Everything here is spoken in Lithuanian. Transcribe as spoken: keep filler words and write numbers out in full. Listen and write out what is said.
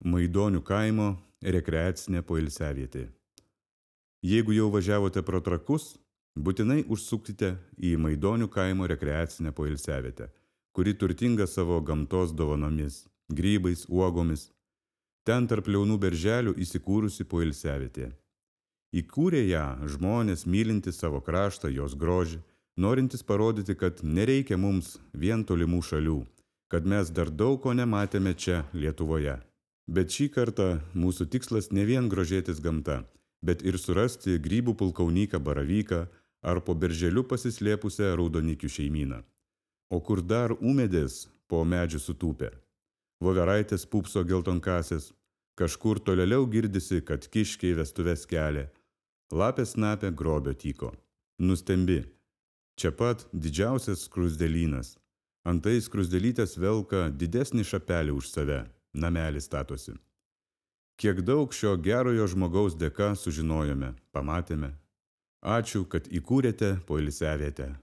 Maidonių kaimo rekreacinė poilsiavietė. Jeigu jau važiavote pro Trakus, būtinai užsukite į Maidonių kaimo rekreacinę poilsiavietę, kuri turtinga savo gamtos dovanomis, grybais, uogomis. Ten tarp liaunų berželių įsikūrusi poilsiavietė. Įkūrė ją žmonės mylintys savo kraštą, jos grožį, norintys parodyti, kad nereikia mums vien tolimų šalių, kad mes dar daug ko nematėme čia Lietuvoje. Bet šį kartą mūsų tikslas ne vien grožėtis gamta, bet ir surasti grybų pulkaunyką baravyką ar po berželiu pasislėpusią raudonikių šeimyną. O kur dar ūmėdės po medžių sutūpę, voveraitės pupso geltonkasės, kažkur tolėliau girdisi, kad kiškiai vestuves kelia, lapės snapia grobio tyko. Nustembi, čia pat didžiausias skruzdėlynas. Antai skruzdėlytės velka didesnį šapelį už save, namelį statosi. Kiek daug šio gerojo žmogaus dėka sužinojome, pamatėme. Ačiū, kad įkūrėte poilsiavietę.